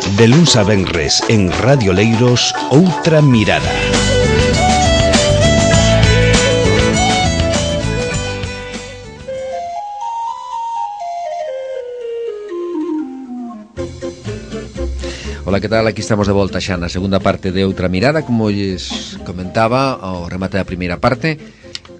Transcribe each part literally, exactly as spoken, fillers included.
De luns a venres en Radio Leiros, Outra Mirada. Ola, que tal? Aquí estamos de volta xa na segunda parte de Outra Mirada. Como lles comentaba ao remate da primeira parte,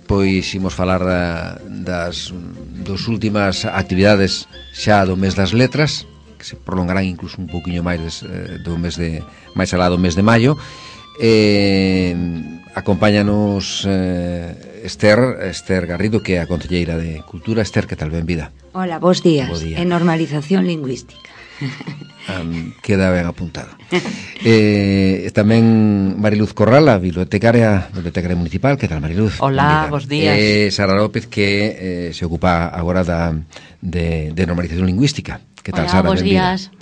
pois imos falar da, das dos últimas actividades xa do mes das letras, que se prolongarán incluso un pouquiño máis des, do mes de máis alá do mes de maio. Eh, acompáñanos eh, Esther, Esther Garrido, que é a concelleira de Cultura. Esther, que tal? Benvida. Hola, bos días. Bo día. En normalización lingüística. Um, queda ben apuntado. eh, tamén Mariluz Corral, a bibliotecaria bibliotecaria municipal. Que tal, Mariluz? Hola, bos días. eh, Sara López, que eh, se ocupa agora da, de, de normalización lingüística. Que tal, Hola, Sara? bos Benvida. días.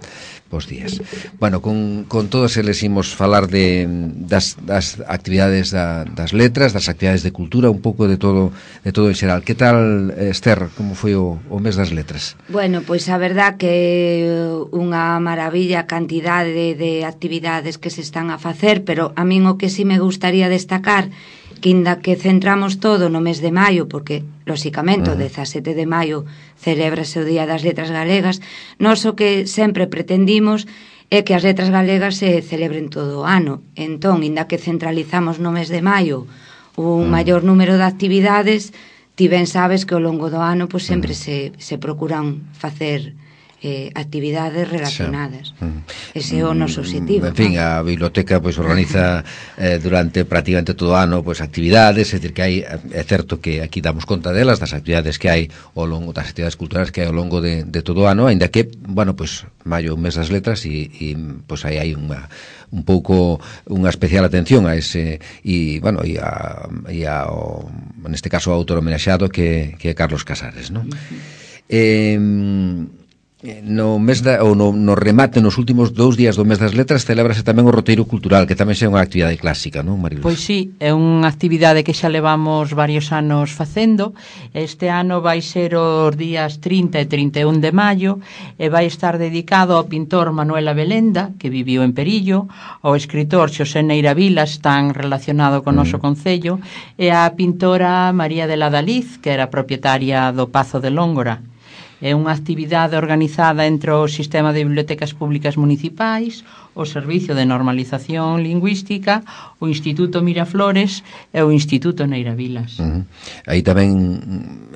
Bos días. Bueno, con, con todos eles imos falar de, das, das actividades da, das letras, das actividades de cultura, un pouco de todo de todo en xeral. Que tal, Esther, como foi o, o mes das letras? Bueno, pois a verdad que unha maravilla cantidade de, de actividades que se están a facer, pero a min o que sí me gustaría destacar, que inda que centramos todo no mes de maio, porque, lóxicamente, uh-huh. o dezasete de maio celébrase o Día das Letras Galegas, nós o que sempre pretendimos é que as letras galegas se celebren todo o ano. Entón, inda que centralizamos no mes de maio un uh-huh. maior número de actividades, ti ben sabes que ao longo do ano pois, sempre uh-huh. se, se procuran facer Eh, actividades relacionadas. Uh-huh. Ese é o noso objetivo. En fin, a biblioteca pois organiza eh, durante prácticamente todo o ano pois actividades, é dicir que hai, é certo que aquí damos conta delas, das actividades que hai ao longo das actividades culturales que hai ao longo de, de todo o ano, aínda que, bueno, pois maio, un mes das letras e, e pois aí hai unha un pouco unha especial atención a ese e, bueno, e a, e a o, neste caso o autor homenaxeado que, que é Carlos Casares, non? Uh-huh. Eh no mes da, ou no, no remate nos últimos dous días do mes das letras celébrase tamén o roteiro cultural, que tamén é unha actividade clásica, non, Mariluz? Pois sí, é unha actividade que xa levamos varios anos facendo. Este ano vai ser os días trinta e trinta e un de maio e vai estar dedicado ao pintor Manuel Abelenda, que viviu en Perillo, ao escritor Xosé Neira Vilas, tan relacionado con o noso mm. concello, e á pintora María de la Daliz, que era propietaria do Pazo de Lóngora. É unha actividade organizada entre o Sistema de Bibliotecas Públicas Municipais, o Servicio de Normalización Lingüística, o Instituto Miraflores e o Instituto Neira Vilas. Uh-huh. Aí tamén,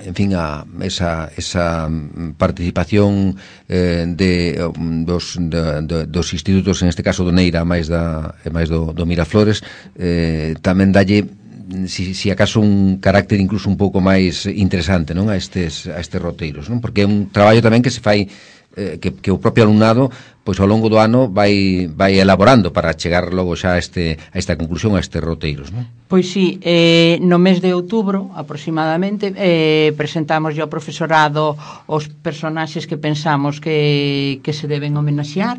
en fin, a, esa, esa participación eh, de, dos, de, de, dos institutos, en este caso do Neira máis, da, máis do, do Miraflores, eh, tamén dalle Si, si acaso un carácter incluso un pouco máis interesante, non, a estes a estes roteiros, non? Porque é un traballo tamén que se fai eh, que, que o propio alumnado pois ao longo do ano vai vai elaborando para chegar logo xa a este a esta conclusión, a estes roteiros, non? Pois sí, eh, no mes de outubro aproximadamente eh, presentamos ao profesorado os personaxes que pensamos que, que se deben homenaxear.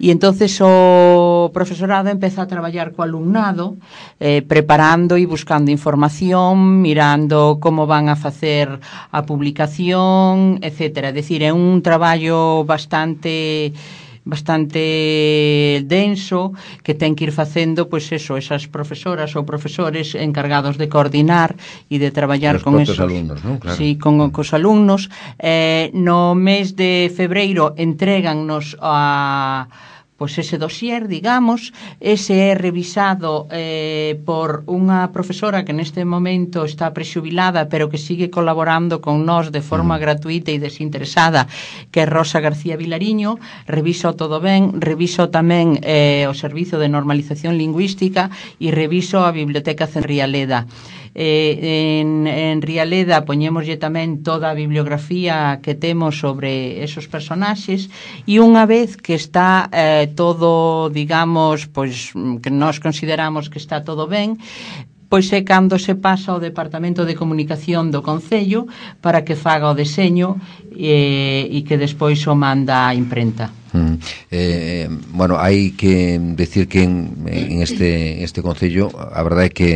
E entonces o profesorado empeza a traballar co alumnado, eh, preparando e buscando información, mirando como van a facer a publicación, etcétera. É dicir, é un traballo bastante bastante denso que ten que ir facendo pois eso, esas profesoras ou profesores encargados de coordinar e de traballar os con esos alumnos, ¿no? Claro. Sí, con cos alumnos. Eh, no mes de febreiro entrégannos a pois ese dossier, digamos, ese é revisado eh, por unha profesora que neste momento está prexubilada, pero que sigue colaborando con nós de forma mm. gratuita e desinteresada, que é Rosa García Vilariño. Reviso todo ben, reviso tamén eh, o Servizo de Normalización Lingüística e reviso a Biblioteca Rialeda. Eh, en, en Rialeda poñémoslle tamén toda a bibliografía que temos sobre esos personaxes e unha vez que está eh, todo, digamos, pois que nós consideramos que está todo ben, pois é cando se pasa ao Departamento de Comunicación do Concello para que faga o deseño e, e que despois o manda á imprenta. Mm. Eh, bueno, hai que decir que en, en este, este Concello a verdade é que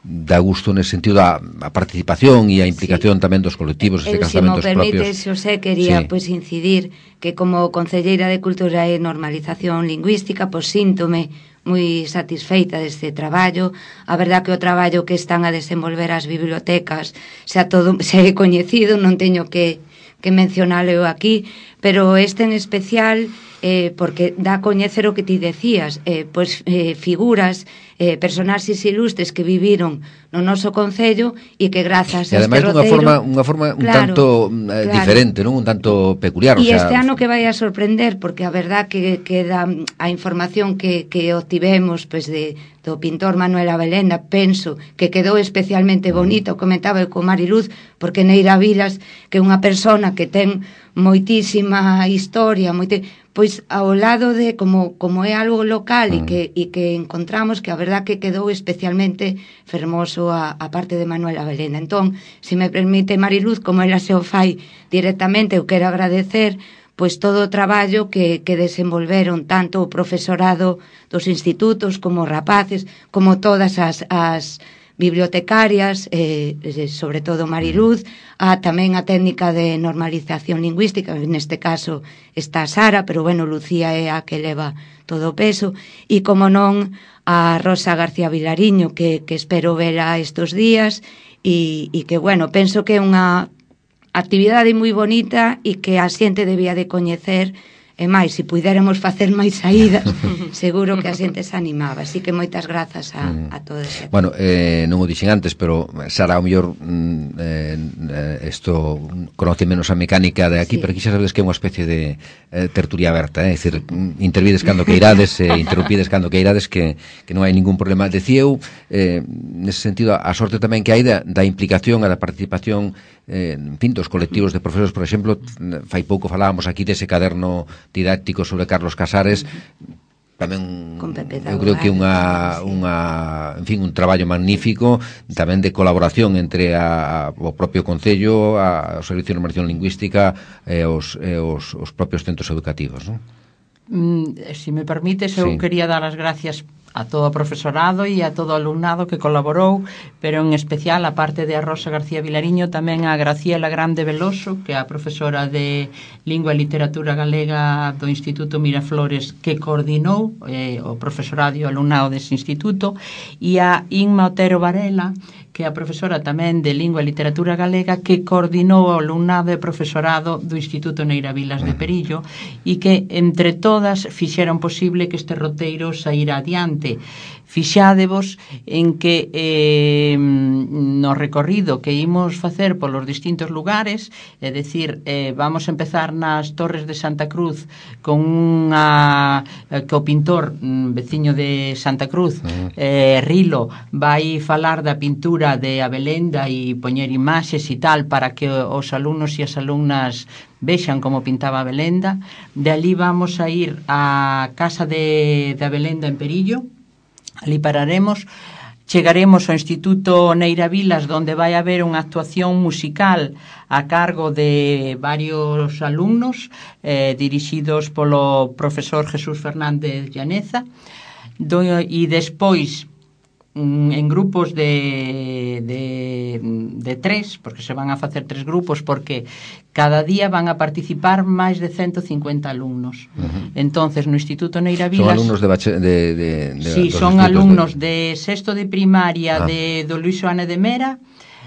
dá gusto nese sentido a, a participación e a implicación sí. tamén dos colectivos e casamentos propios. Se me permite, propios. Xosé, quería sí. pois incidir que como concelleira de Cultura e Normalización Lingüística, pois síntome moi satisfeita deste traballo. A verdad que o traballo que están a desenvolver as bibliotecas xa todo se é coñecido, non teño que, que mencionalo aquí, pero este en especial eh, porque dá a coñecer o que ti decías, eh, pois eh, figuras, eh, personaxes ilustres que viviron no noso concello e que grazas a este roteiro... E ademais dunha forma, unha forma un claro, tanto eh, claro. diferente, non? Un tanto peculiar. E o sea... este ano que vai a sorprender, porque a verdad que, que da, a información que, que obtivemos pues, de, do pintor Manuel Abelenda, penso que quedou especialmente bonito, mm. comentaba eu con Mariluz, porque Neira Vilas, que é unha persona que ten moitísima historia, moite, pois ao lado de como como é algo local mm. e que e que encontramos que a verdad que quedou especialmente fermoso a, a parte de Manuel Abelenda. Entón, se me permite Mariluz, como ela se o fai directamente, eu quero agradecer pois todo o traballo que, que desenvolveron tanto o profesorado dos institutos como os rapaces, como todas as, as bibliotecarias, eh, sobre todo Mariluz, a tamén a técnica de normalización lingüística, neste caso está Sara, pero bueno, Lucía é a que leva todo o peso, e como non a Rosa García Vilariño, que, que espero vela estes días, e, e que bueno, penso que é unha actividade moi bonita e que a xente debía de coñecer. E máis, se puidéramos facer máis saídas, seguro que a xente se animaba. Así que moitas grazas a, a todos. Bueno, eh, non o dixen antes, pero Sara, ao mellor eh, isto conoce menos a mecánica de aquí, sí. pero aquí xa sabedes que é unha especie de eh, tertulia aberta, é eh? dicir, intervides cando que irades, eh, interrumpides cando que irades, que, que non hai ningún problema. Decía eu, eh, nese sentido, a sorte tamén que hai da, da implicación e da participación eh, en fin, dos colectivos de profesores, por exemplo, fai pouco falábamos aquí dese caderno didáctico sobre Carlos Casares, tamén eu creo que unha, unha, en fin, un traballo magnífico tamén de colaboración entre a, a, o propio Concello, a, o Servicio de Normalización Lingüística e os, e os, os propios centros educativos, non? Mm, se me permites, eu sí. quería dar as gracias a todo o profesorado e a todo o alumnado que colaborou, pero en especial a parte de a Rosa García Vilariño, tamén a Graciela Grande Veloso, que é a profesora de Lingua e Literatura Galega do Instituto Miraflores, que coordinou eh, o profesorado e o alumnado dese instituto, e a Inma Otero Varela, que é a profesora tamén de Lingua e Literatura Galega, que coordinou o alumnado e profesorado do Instituto Neira Vilas de Perillo, e que entre todas fixeron posible que este roteiro saíra adiante. Fixádevos en que eh, no recorrido que imos facer polos distintos lugares, é dicir, eh, vamos a empezar nas Torres de Santa Cruz con unha eh, que o pintor mm, veciño de Santa Cruz, eh, Rilo, vai falar da pintura de Abelenda e poñer imaxes e tal para que os alumnos e as alumnas vexan como pintaba Abelenda. De ali vamos a ir á casa de, de Abelenda en Perillo. Ali pararemos, chegaremos ao Instituto Neira Vilas, donde vai haber unha actuación musical a cargo de varios alumnos eh, dirixidos polo profesor Jesús Fernández Llaneza, do, e despois en grupos de, de, de tres, porque se van a facer tres grupos, porque cada día van a participar máis de ciento cincuenta alumnos. Uh-huh. Entonces, no Instituto Neira Vilas... Son alumnos de... Bache, de, de, de sí, son alumnos de... de sexto de primaria ah. de, do Luis Xoane de Mera,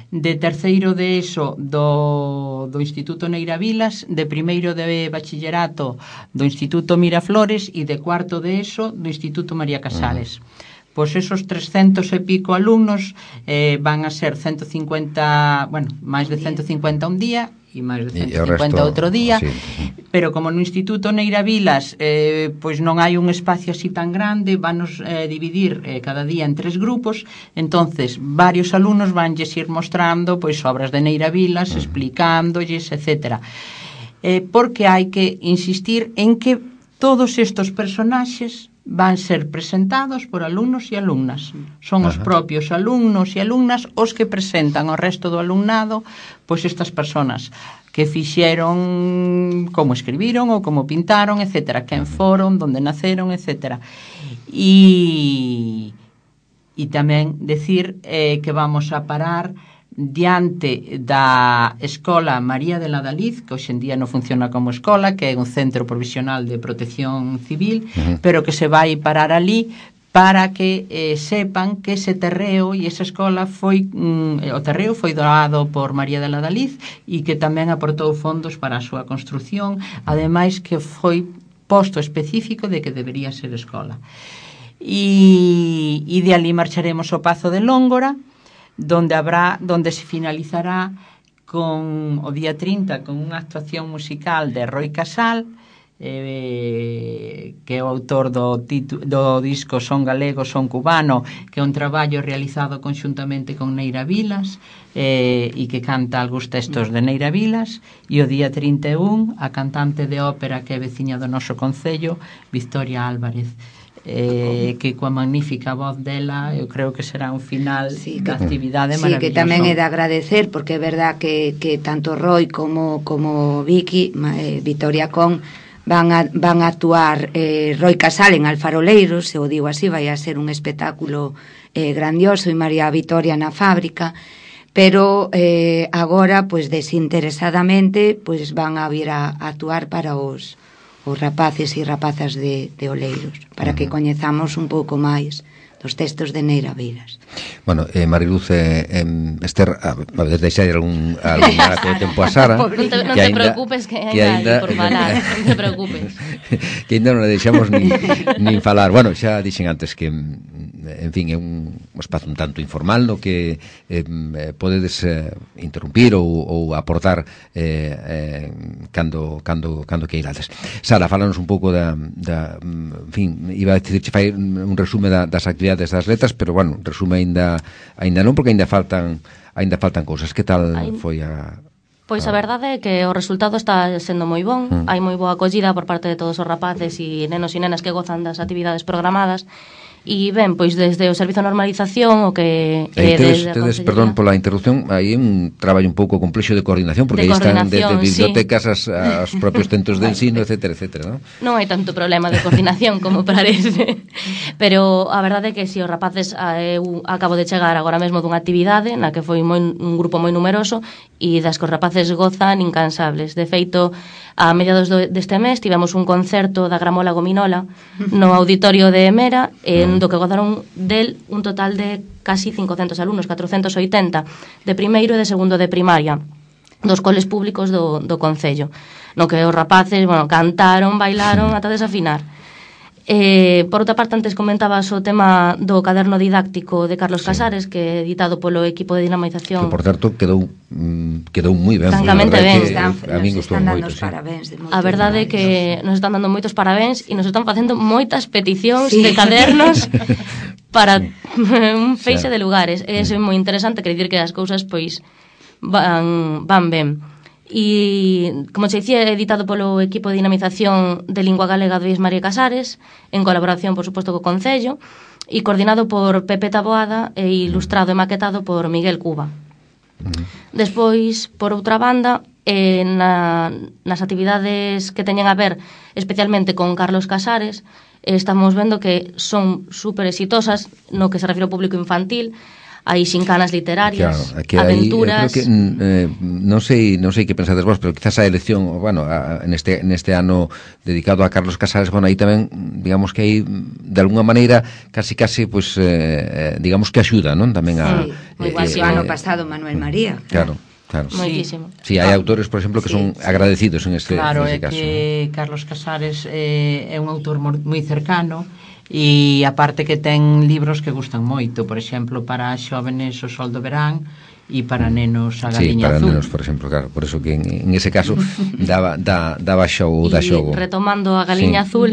de terceiro de ESO do, do Instituto Neira Vilas, de primeiro de bachillerato do Instituto Miraflores e de cuarto de ESO do Instituto María Casares. Uh-huh. Pois esos trescentos e pico alumnos eh, van a ser ciento cincuenta, bueno, máis de ciento cincuenta un día e máis de ciento cincuenta outro día, sí. Pero como no Instituto Neira Vilas eh, pois non hai un espacio así tan grande, vanos eh, dividir eh, cada día en tres grupos, entonces varios alumnos vanlles ir mostrando pois obras de Neira Vilas, explicándolles, etcétera. Eh, porque hai que insistir en que todos estos personaxes van ser presentados por alumnos e alumnas. Son os Ajá. propios alumnos e alumnas os que presentan ao resto do alumnado pois estas persoas que fixeron, como escribiron ou como pintaron, etcétera, quen foron, donde naceron, etcétera. E e tamén decir eh, que vamos a parar diante da Escola María de la Daliz, que hoxe en día non funciona como escola, que é un centro provisional de protección civil, uh-huh. pero que se vai parar ali para que eh, sepan que ese terreo e esa escola foi mm, o terreo foi doado por María de la Daliz e que tamén aportou fondos para a súa construción, ademais que foi posto específico de que debería ser escola. E, e de ali marcharemos ao Pazo de Lóngora, donde habrá, donde se finalizará con o día trinta con unha actuación musical de Roi Casal, eh, que é o autor do, titu, do disco Son Galego, Son Cubano, que é un traballo realizado conxuntamente con Neira Vilas, eh, e que canta algúns textos de Neira Vilas. E o día trinta e un a cantante de ópera que é veciña do noso concello, Victoria Álvarez, eh, que coa magnífica voz dela eu creo que será un final sí, da actividade sí, maravilloso. Sí, que tamén é de agradecer, porque é verdad que, que tanto Roy como, como Vicky, eh, Victoria Con van a, van a actuar eh, Roy Casal en Alfaroleiros, se o digo así, vai a ser un espectáculo eh, grandioso, e María Vitoria na fábrica, pero eh, agora, pues desinteresadamente, pues van a vir a, a actuar para os os rapaces e rapazas de, de Oleiros, para que coñezamos un pouco máis dos textos de Neira Vilas. Bueno, eh, Mariluz, eh, eh, Esther, a, a ver, deixar algún, algún rato de tempo a Sara. Non te, non te ainda, preocupes que ainda por falar, non te preocupes. Que ainda non a deixamos nin, nin falar. Bueno, xa dixen antes que, en fin, é un espazo un tanto informal no que eh, podedes eh, interrumpir ou, ou aportar eh, eh, cando, cando, cando que irades. Sara, fálanos un pouco da, da en fin, iba a decir, fai un resume da, das actividades das letras, pero bueno, resume aínda aínda non, porque aínda faltan aínda faltan cousas. Que tal Ai... foi a Pois a verdade é que o resultado está sendo moi bon, mm. hai moi boa acollida por parte de todos os rapaces e nenos e nenas que gozan das actividades programadas. E ben, pois desde o Servizo de Normalización o que eh, tedes, tedes, perdón pola interrupción, hai un traballo un pouco complexo de coordinación, porque aí están desde bibliotecas sí. aos propios centros de ensino, etcétera, etcétera, ¿no? Non hai tanto problema de coordinación como parece, pero a verdade é que si os rapaces, eu acabo de chegar agora mesmo dunha actividade na que foi moi, un grupo moi numeroso e das que os rapaces gozan incansables. De feito, a mediados do, deste mes tivemos un concerto da Gramola Gominola no auditorio de Mera, en do que gozaron del un total de casi cincocentos alumnos, catrocentos oitenta, de primeiro e de segundo de primaria, dos coles públicos do, do Concello, no que os rapaces, bueno, cantaron, bailaron ata desafinar. Eh, por outra parte, antes comentabas o tema do caderno didáctico de Carlos sí. Casares, que é editado polo equipo de dinamización. Que, por certo, quedou mm, quedou moi ben. Francamente ben. Están, a mí nos están dando os sí. parabéns. De a verdade é que nos están dando moitos parabéns e nos están facendo moitas peticións sí. de cadernos para un feixe sí. de lugares. E iso é moi interesante, quer dicir que as cousas pois van, van ben. E, como se dicía, editado polo equipo de dinamización de lingua galega de Luís María Casares, en colaboración, por suposto, co Concello, e coordinado por Pepe Taboada e ilustrado e maquetado por Miguel Cuba. Despois, por outra banda, eh, na, nas actividades que teñen a ver especialmente con Carlos Casares, eh, estamos vendo que son super exitosas no que se refire ao público infantil. Hai xincanas literarias, claro, aventuras. Que, eh, non sei, non sei que pensades vos, pero quizás a elección, bueno, a, neste neste ano dedicado a Carlos Casares, bueno, aí tamén, digamos que aí de alguna maneira casi casi pois pues, eh, digamos que axuda, non? Tamén a sí, moi igual eh, o ano pasado Manuel María. Claro. Claro. Moitísimo. Sí, hai autores, por exemplo, que sí. son agradecidos en este, claro, en este caso. Claro, é que Carlos Casares eh, é un autor moi cercano e aparte que ten libros que gustan moito, por exemplo, para xóvenes O Sol do Verán e para nenos A Galiña Azul. Sí, para Azul. nenos, por exemplo, claro, por eso que en, en ese caso daba, da, daba xogo, da xogo. E retomando A Galiña sí. Azul,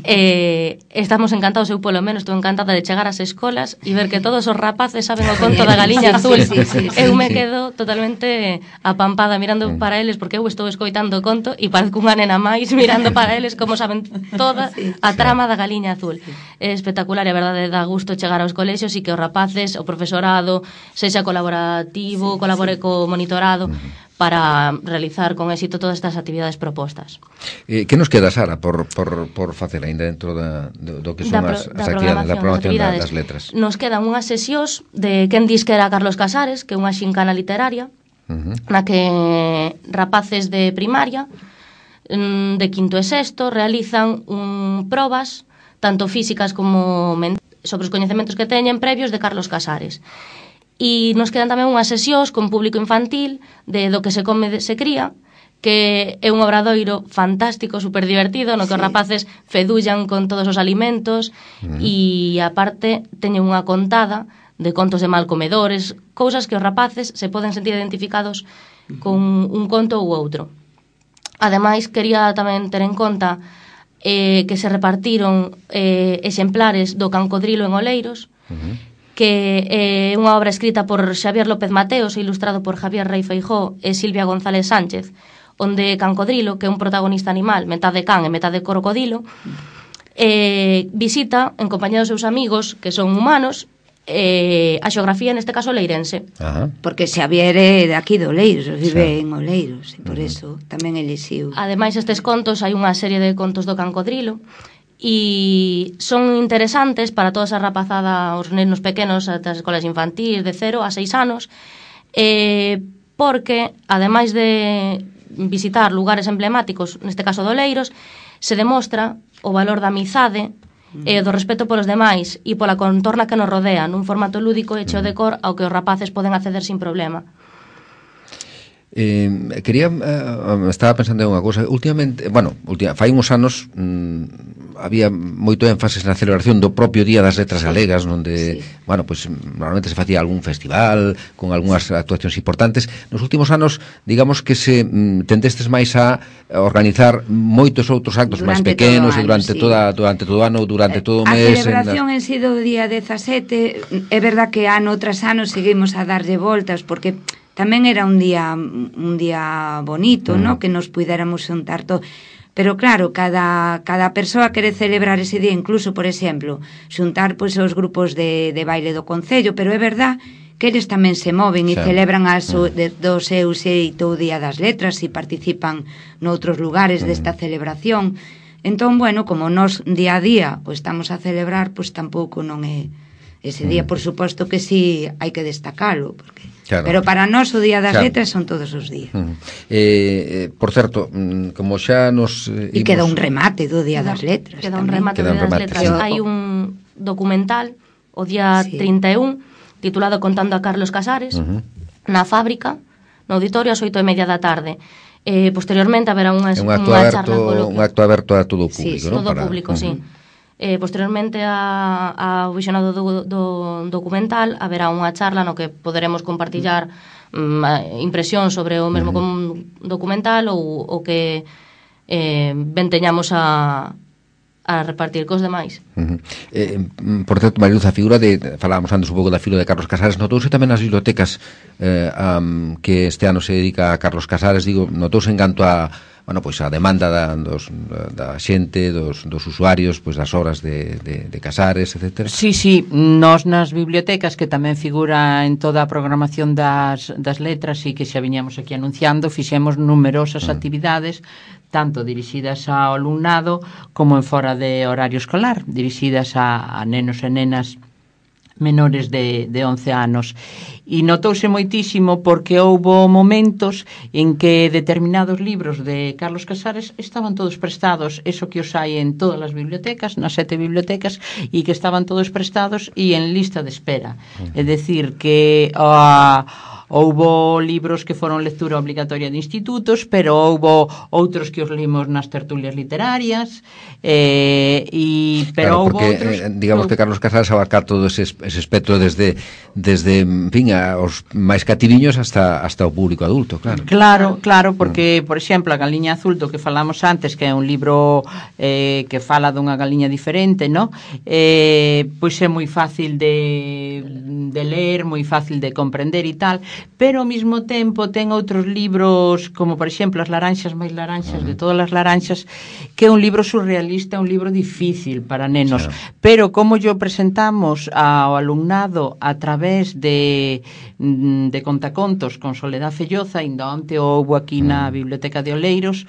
eh, estamos encantados, eu polo menos estou encantada de chegar ás escolas e ver que todos os rapaces saben o conto da Galiña Azul. Sí, sí, sí, sí, eu me sí. quedo totalmente apampada mirando sí. para eles, porque eu estou escoitando o conto e parezco unha nena máis mirando para eles como saben toda sí. a trama da Galiña Azul. É espectacular e a verdade dá gusto chegar aos colexios e que os rapaces, o profesorado sexa colaborativo, sí, colabore sí. co monitorado, para realizar con éxito todas estas actividades propostas. Eh, que nos queda, Sara, por, por, por facer ainda dentro da, do, do que son da, as, da as actividades, da programación actividades. das letras? Nos quedan unhas sesións de quen dis que era Carlos Casares, que é unha xincana literaria, uh-huh. na que rapaces de primaria, de quinto e sexto, realizan un, probas, tanto físicas como mentais, sobre os coñecementos que teñen previos de Carlos Casares. E nos quedan tamén unhas sesións con público infantil de Do que se come se cría, que é un obradoiro fantástico, super divertido, no que sí. os rapaces fedullan con todos os alimentos mm. e aparte teñen unha contada de contos de malcomedores, cousas que os rapaces se poden sentir identificados mm. con un conto ou outro. Ademais, quería tamén ter en conta eh, que se repartiron eh, exemplares do Cancodrilo en Oleiros, mm. que é eh, unha obra escrita por Xavier López Mateos e ilustrado por Javier Rey Feijó e Silvia González Sánchez, onde Cancodrilo, que é un protagonista animal, metade can e metade crocodilo, eh, visita, en compañía dos seus amigos, que son humanos, eh, a xeografía, neste caso, leirense. Ajá. Porque Xavier é de aquí de Oleiros, vive sí. en Oleiros, e por uh-huh. eso tamén elixiu. Ademais, estes contos, hai unha serie de contos do Cancodrilo, e son interesantes para toda esa rapazada, os nenos pequenos das escolas infantís de cero a seis anos, eh, porque ademais de visitar lugares emblemáticos, neste caso de Oleiros, se demostra o valor da amizade e do respeto polos demais e pola contorna que nos rodea nun formato lúdico e cheo de cor ao que os rapaces poden acceder sin problema. Eh, quería, eh, estaba pensando en unha cousa. Últimamente, bueno, última, fai uns anos mm, había moito énfasis na celebración do propio Día das Letras Galegas, onde, sí. bueno, pues normalmente se facía algún festival con algunhas actuacións importantes. Nos últimos anos, digamos que se mm, tendestes máis a organizar moitos outros actos máis pequenos e durante sí. toda durante todo o ano, durante todo o mes. A celebración en, las... en si do día dezasete, é verdad que ano tras ano seguimos a darlle voltas, porque tamén era un día un día bonito, mm. ¿no? Que nos puidéramos xuntar todo. Pero claro, cada, cada persoa quere celebrar ese día, incluso, por exemplo, xuntar pois, os grupos de, de baile do Concello, pero é verdad que eles tamén se moven e sí. celebran as, mm. de, do seu xeito o Día das Letras e participan noutros lugares mm. desta celebración. Entón, bueno, como nós día a día o estamos a celebrar, pois tampouco non é ese día, mm. por suposto que sí hai que destacalo, porque claro. Pero para nós o Día das claro. Letras son todos os días. Mm. Eh, eh, por certo, como xa nos eh, E imos... queda un remate do Día das Letras. Queda un remate do Día das Letras. Sí. Hai un documental o día sí. trinta e un titulado Contando a Carlos Casares uh-huh. na fábrica, no auditorio ás oito e media da tarde. Eh, posteriormente haberá unha, un unha charla coloquia. Un acto aberto a todo o público, sí, ¿no? todo o Para... público, uh-huh. sí. Eh, posteriormente a, ao visionado do, do documental haberá unha charla no que poderemos compartillar um, impresións sobre o mesmo uh-huh. documental ou o que eh, ben teñamos a, a repartir cos demais. Uh-huh. eh, por certo, Mariluz, a figura de, falábamos antes un pouco da figura de Carlos Casares, notouse tamén nas bibliotecas eh, um, que este ano se dedica a Carlos Casares, digo, notouse en canto a bueno, pois a demanda da, dos, da xente, dos, dos usuarios, pois das obras de, de, de Casares, etcétera. Sí, sí, nós nas bibliotecas, que tamén figura en toda a programación das, das letras e que xa viñamos aquí anunciando, fixemos numerosas mm. actividades, tanto dirixidas ao alumnado como en fora de horario escolar, dirixidas a, a nenos e nenas menores de, de once anos. E notouse moitísimo porque houbo momentos en que determinados libros de Carlos Casares estaban todos prestados, eso que os hai en todas as bibliotecas, nas sete bibliotecas, e que estaban todos prestados e en lista de espera. É dicir, que a... houbo libros que foron lectura obligatoria de institutos, pero houbo outros que os limos nas tertulias literarias, eh, e, pero claro, houbo porque, outros... Eh, digamos que Carlos Casares abarcar todo ese, ese espectro desde, desde en fin, a, os máis cativiños hasta, hasta o público adulto, claro. Claro, claro, porque, por exemplo, a Galiña Azul, do que falamos antes, que é un libro eh, que fala dunha galiña diferente, ¿no? Eh, pois é moi fácil de, de ler, moi fácil de comprender e tal, pero ao mesmo tempo ten outros libros, como por exemplo As laranxas máis laranxas de todas as laranxas, que é un libro surrealista, un libro difícil para nenos, claro. Pero como yo presentamos ao alumnado a través de de contacontos con Soledad Felloza, ainda onte houbo aquí na Biblioteca de Oleiros,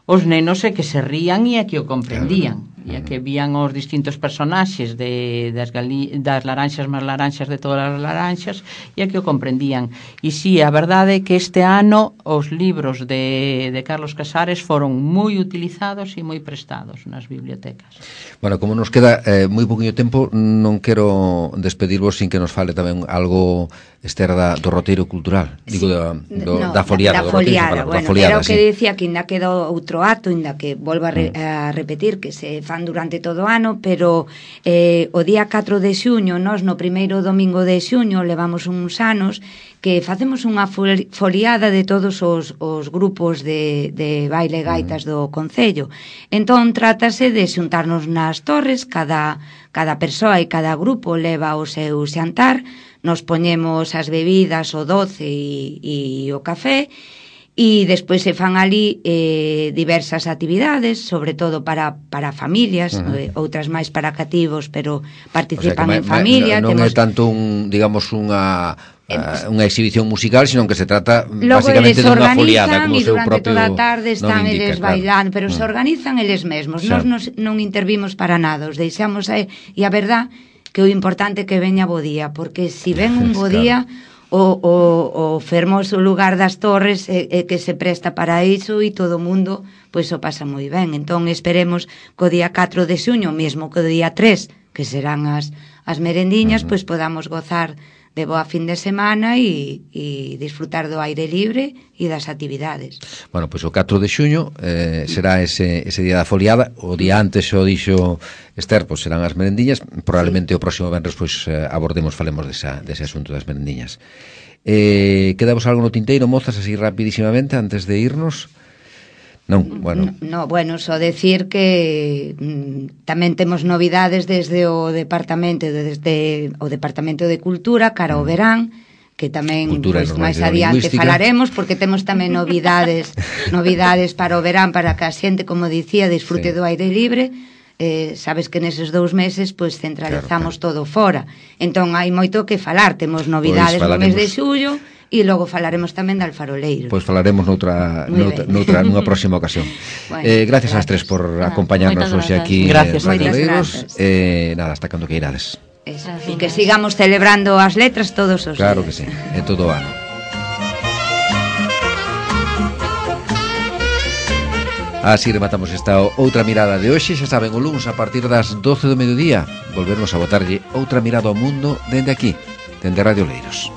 os nenos é que se rían e é que o comprendían, e é que vían os distintos personaxes de, das, gali, das laranxas máis laranxas de todas as laranxas, e é que o comprendían. E si, a verdade é que este ano os libros de, de Carlos Casares foron moi utilizados e moi prestados nas bibliotecas. Bueno, como nos queda eh, moi poquinho tempo, non quero despedirvos sin que nos fale tamén algo, Esther, da, do roteiro cultural, digo, sí. da, do, no, da foliada, da, da foliada, roteiro, bueno, da foliada, era o que sí. dicía que ainda quedou outro acto, ainda que volvo a, re, a repetir que se fan durante todo o ano, pero eh, o día catro de xuño, nós no primeiro domingo de xuño levamos uns anos que facemos unha foliada de todos os, os grupos de, de baile gaitas do Concello. Entón, trátase de xuntarnos nas torres, cada, cada persoa e cada grupo leva o seu xantar, nos poñemos as bebidas, o doce e, e o café, e despois se fan ali eh, diversas actividades, sobre todo para, para familias, uh-huh. eh, outras máis para cativos, pero participan o sea, en ma, familia. Non temos... é tanto un, digamos, unha... Uh, unha exhibición musical, sino que se trata logo básicamente dunha foliada, como o seu propio toda a tarde están indica, eles bailando, claro. pero mm. se organizan eles mesmos. Nós nos, non intervimos para nada, os deixamos aí, e a verdad que o importante é que veña bo día, porque se si ven un bo día, o, o, o fermoso lugar das torres é, é que se presta para iso e todo o mundo pois o pasa moi ben. Entón esperemos que o día catro de xuño, mesmo que o día tres, que serán as, as merendiñas, uh-huh. pois podamos gozar de boa fin de semana e, e disfrutar do aire libre e das actividades. Bueno, pois o catro de xuño eh, será ese, ese día da foliada. O día antes xo dixo Esther, pois serán as merendiñas. Probablemente sí. O próximo venres pois eh, abordemos, falemos desa, dese asunto das merendiñas. Eh, quedamos algo no tinteiro, mozas, así rapidísimamente antes de irnos? Non, bueno. No, bueno, só decir que mm, tamén temos novidades desde o departamento desde o Departamento de Cultura cara ao verán, que tamén pois, máis adiante falaremos, porque temos tamén novidades novidades para o verán, para que a xente, como dicía, disfrute sí. do aire libre. Eh, sabes que neses dous meses pois centralizamos claro, claro. todo fora. Entón hai moito que falar, temos novidades pois no mes de xullo. E logo falaremos tamén de Alfaroleiro. Pois falaremos noutra, noutra, noutra nunha próxima ocasión. Bueno, eh, gracias, gracias ás tres por ah, acompañarnos hoxe aquí gracias, en Alfaroleiros. Eh, nada, hasta cando que irades. Eso, e que sigamos celebrando as letras todos os claro días. Claro que sí, en todo o ano. Así rematamos esta outra mirada de hoxe. Xa saben, o luns a partir das doce do mediodía volvernos a botarlle outra mirada ao mundo dende aquí, dende Radio Oleiros.